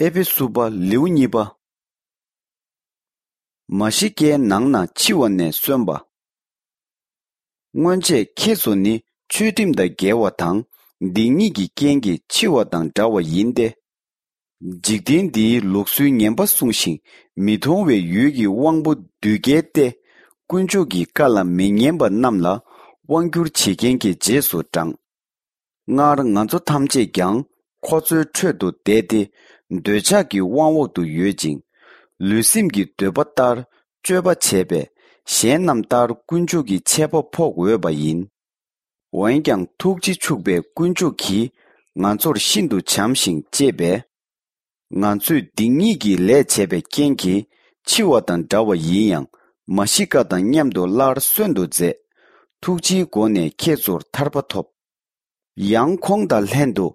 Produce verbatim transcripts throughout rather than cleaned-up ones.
ཨེ་ཕེ་སུ་པ་ལེའུ་གཉིས་པ། མ་ཤི་ཀའི་ནང་ན་འཆི་བ་ནས་གསོན་པ། སྔོན་ཆད་ཁྱེད་ཚོ་ནི་ཆོས་ཁྲིམས་དང་འགལ་བ་དང་སྡིག་ཉེས་ཀྱི་རྐྱེན་གྱིས་འཆི་བ་དང་འདྲ་བ་ཡིན་ཏེ། འཇིག་རྟེན་འདིའི་ལུགས་སྲོལ་ངན་པ་སྲུང་ཞིང་མི་མཐོང་བའི་ཡུལ་གྱི་དབང་པོ་བདུད་རྒྱལ་ཏེ། དཀོན་མཆོག་གི་བཀའ་ལ་མི་ཉན་པ་རྣམས་ལ་དབང་བསྒྱུར་བྱེད་མཁན་གྱི་རྗེས་སུ་འབྲངས། སྔར་ང་ཚོ་ཐམས་ཅད་ཀྱང་ཁོ་ཚོའི་ཁྲོད་དུ་བསྡད་དེ། འདོད་ཆགས་ཀྱི་དབང་འོག་ཏུ་ཡོད་ཅིང་། ལུས་སེམས་ཀྱི་འདོད་པ་ལྟར་སྤྱོད་པ་བྱས་པས། གཞན་རྣམས་ལྟར་དཀོན་མཆོག་གི་ཆད་པ་ཕོག་འོས་པ་ཡིན། འོན་ཀྱང་ཐུགས་རྗེ་ཕྱུག་པའི་དཀོན་མཆོག་གིས་ང་ཚོར་ཤིན་ཏུ་བྱམས་ཤིང་གཅེས་པས། ང་ཚོས་སྡིག་ཉེས་ཀྱི་ལས་བྱས་པའི་རྐྱེན་གྱིས་འཆི་བ་དང་འདྲ་བ་ཡིན་ཡང་། མ་ཤི་ཀ་དང་མཉམ་དུ་སླར་གསོན་དུ་མཛད། ཐུགས་རྗེའི་སྒོ་ནས་ཁྱེད་ཚོར་ཐར་པ་ཐོབ། ཡང་ཁོང་དང་ལྷན་དུ་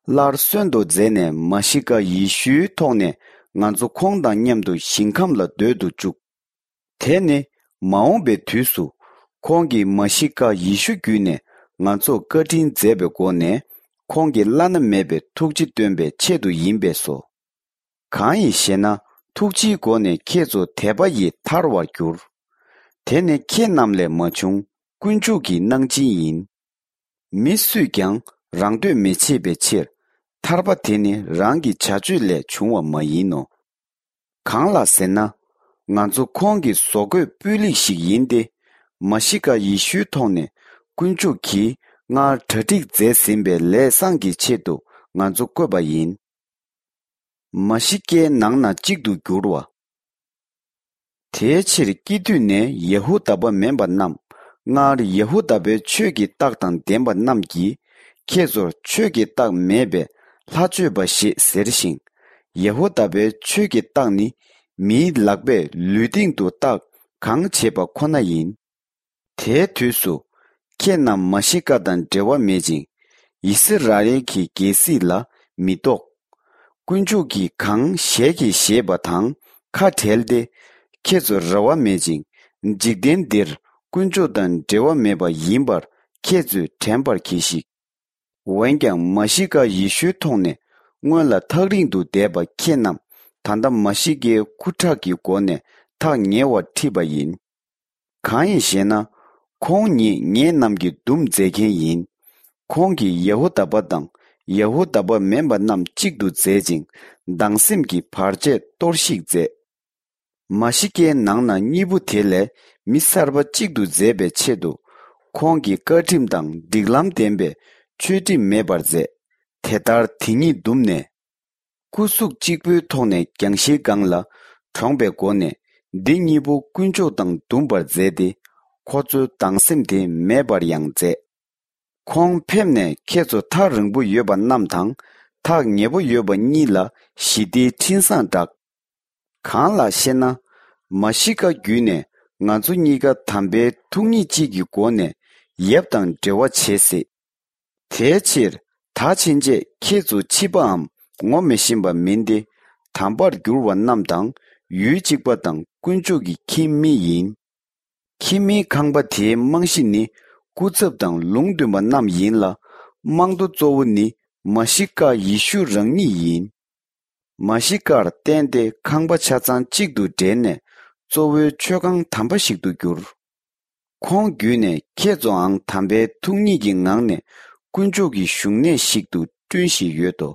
སླར་གསོན་དུ་མཛད་ནས་མ་ཤི་ཀ་ཡེ་ཤུའི་ཐོག་ནས་ང་ཚོ་ཁོང་དང་མཉམ་དུ་ཞིང་ཁམས་ལ་སྡོད་དུ་བཅུག། དེ་ནི་མ་འོངས་པའི་དུས་སུ་ཁོང་གིས་མ་ཤི་ཀ་ཡེ་ཤུ་བརྒྱུད་ནས་ང་ཚོར་བཀའ་དྲིན་མཛད་པའི་སྒོ་ནས་ཁོང་གི་བླ་ན་མེད་པའི་ཐུགས་རྗེ་སྟོན་པའི་ཆེད་དུ་ཡིན་པས་སོ། གང་ཡིན་ཞེ་ན། ཐུགས་རྗེའི་སྒོ་ནས་ཁྱེད་ཚོ་དད་པ་ཡིས་ཐར་བར་འགྱུར། དེ་ནི་ཁྱེད་རྣམས་ལས་མ་བྱུང་། དཀོན་མཆོག་གི་གནང་སྦྱིན་ཡིན། མི་སུས་ཀྱང་རང་འདོད་མི་བྱེད་པའི་ཕྱིར། ཐར་པ་དེ་ནི་རང་གི་བྱ་སྤྱོད་ལས་བྱུང་བ་མ་ཡིན་ནོ། གང་ལགས་ཟེར་ན། ང་ཚོ་ཁོང་གི་བཟོ་བཀོད་སྤུས་ལེགས་ཤིག་ཡིན་ཏེ། མ་ཤི་ཀ་ཡེ་ཤུའི་ཐོག་ནས་དཀོན་མཆོག་གིས་སྔར་གྲ་སྒྲིག་མཛད་ཟིན་པའི་ལས་བཟང་གི་ཆེད་དུ་ང་ཚོ་བཀོད་པ་ཡིན། མ་ཤི་ཀའི་ནང་ན་གཅིག་ཏུ་འགྱུར་བ། དེའི་ཕྱིར་སྐྱེ་དུས་ནས་ཡ་ཧུ་དཱ་པ་མིན་པ་རྣམས། སྔར་ཡ་ཧུ་དཱ་པའི་ཆོས་ཀྱི་རྟགས་དང་ལྡན་པ་རྣམས་ཀྱིས་ཁྱེད་ཚོར་ཆོས་ཀྱི་རྟགས་མེད་པས་ལྷ་མཆོད་པ་ཞེས་ཟེར་ཞིང་། ཡ་ཧུ་དཱ་པའི་ཆོས་ཀྱི་རྟགས་ནི་མིའི་ལག་པས་ལུས་སྟེང་དུ་རྟགས་གང་བྱེད་པ་ཁོ་ན་ཡིན། དེའི་དུས་སུ་ཁྱེད་རྣམས་མ་ཤི་ཀ་དང་འབྲེལ་བ་མེད་ཅིང་། ཡི་སི་ར་ཨེལ་གྱི་རྒྱལ་སྲིད་ལ་མི་གཏོགས། དཀོན་མཆོག་གིས་གང་ཞལ་གྱིས་བཞེས་པ་དང་ཁ་བྲལ་ཏེ། ཁྱེད་ཚོར་རེ་བ་མེད་ཅིང་། འཇིག་རྟེན་འདིར་དཀོན་མཆོག་དང་འབྲེལ་བ་མེད་པ་ཡིན་པར་ཁྱེད་ཚོས་དྲན་པར་གྱིས་ཤིག། འོན་ཀྱང་མ་ཤི་ཀ་ཡེ་ཤུའི་ཐོག་ནས་སྔོན་ལ་ཐག་རིང་དུ་བསྡད་པ་ཁྱེད་རྣམས་ད་ལྟ་མ་ཤི་ཀའི་སྐུ་ཁྲག་གི་སྒོ་ནས་ཐག་ཉེ་བར་ཁྲིད་པ་ཡིན། གང་ཡིན་ཞེ་ན། ཁོང་ཉིད་ངེད་རྣམས་ཀྱི་འདུམ་མཛད་མཁན་ཡིན། ཁོང་གིས་ཡ་ཧུ་དཱ་པ་དང་ཡ་ཧུ་དཱ་པ་མིན་པ་རྣམས་གཅིག་ཏུ་མཛད་ཅིང་། སྡང་སེམས་ཀྱི་བར་ཆད་གཏོར་བཤིག་མཛད། མ་ཤི་ཀའི་ནང་ན་གཉིས་པོ་དེ་ལས་མི་གསར་པ་གཅིག་ཏུ་མཛད་པའི་ཆེད་དུ། ཁོང་གིས་བཀའ་ཁྲིམས་དང་སྒྲིག་ལམ་ལྡན་པའི་ཆོས་ཁྲིམས་མེད་པར་མཛད། དེ་ལྟར་དེ་ཉིད་འདུམ་ནས། སྐུ་གཟུགས་གཅིག་པུའི་ཐོག་ནས་རྒྱང་ཤིང་སྒང་ལ་གྲོངས་པའི་སྒོ་ནས། འདི་གཉིས་པོ་དཀོན་མཆོག་དང་འདུམ་པར་མཛད་དེ། ཁོ་ཚོའི་སྡང་སེམས་དེ་མེད་པར་ཡང་མཛད། ཁོང་ཕེབས་ནས་ཁྱེད་ཚོ་ཐག་རིང་པོ་ཡོད་པ་རྣམས་དང་། ཐག་ཉེ་པོ་ཡོད་པ་གཉིས་ལ་ཞི་བདེའི་འཕྲིན་བཟང་བསྒྲགས། གང་ལགས་ཤེ་ན། མ་ཤི་ཀ་བརྒྱུད་ནས་ང་ཚོ་གཉིས་ཀ་དམ་པའི་ཐུགས་ཉིད་གཅིག་གི་སྒོ་ནས་ཡབ་དང་འབྲེལ་བ་བྱེད་སྲིད། དེའི་ཕྱིར་ད་ཕྱིན་ཆད་ཁྱེད་ཚོ་འཆི་བའམ་ངོ་མི་ཤེས་པ་མིན་ཏེ། དམ་པར་གྱུར་བ་རྣམས་དང་ཡུལ་གཅིག་པ་དང་དཀོན་མཆོག་གི་ཁྱིམ་མི་ཡིན། ཁྱིམ་མིའི་ཁང་པ་དེའི་རྨང་གཞི་ནི་སྐུ་ཚབ་དང་ལུང་སྟོན་པ་རྣམས་ཡིན་ལ། རྨང་རྡོ་གཙོ་བོ་ནི་མ་ཤི་ཀ་ཡེ་ཤུ་རང་ཉིད་ཡིན། མ་ཤི་ཀར་བརྟེན་ཏེ་ཁང་པ་ཆ་ཚང་གཅིག་ཏུ་འབྲེལ་ནས་གཙོ་བོའི་མཆོད་ཁང་དམ་པ་ཞིག་ཏུ་གྱུར། ཁོང་བརྒྱུད་ནས་ཁྱེད་ཚོའང་དམ་པའི་ཐུགས་ཉིད་ཀྱི་ངང་ནས་དཀོན་མཆོག་གི་བཞུགས་གནས་ཤིག་ཏུ་བསྐྲུན་བཞིན་ཡོད་དོ།